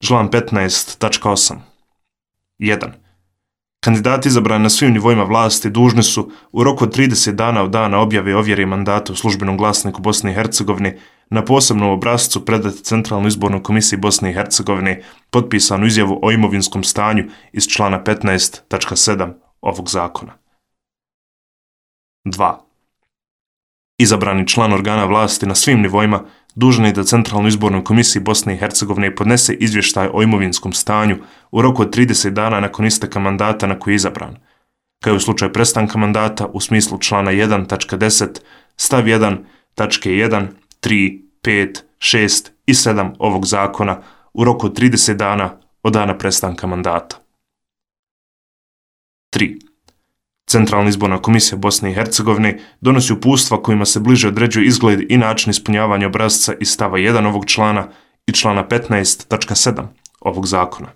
Član 15.8. 1. Kandidati izabrani na svim nivoima vlasti dužni su u roku od 30 dana od dana objave i ovjere mandata u službenom glasniku Bosne i Hercegovine na posebnom obrascu predati Centralnoj izbornoj komisiji Bosne i Hercegovine potpisanu izjavu o imovinskom stanju iz člana 15.7 ovog zakona. 2. Izabrani član organa vlasti na svim nivoima dužan je da Centralnoj izbornoj komisiji Bosne i Hercegovine podnese izvještaj o imovinskom stanju u roku od 30 dana nakon isteka mandata na koji je izabran, kao i u slučaju prestanka mandata u smislu člana 1.10 stav 1 tačke 1, 3, 5, 6 i 7 ovog zakona u roku od 30 dana od dana prestanka mandata. 3. Centralna izborna komisija Bosne i Hercegovine donosi uputstva kojima se bliže određuje izgled i način ispunjavanja obrasca iz stava 1 ovog člana i člana 15.7 ovog zakona.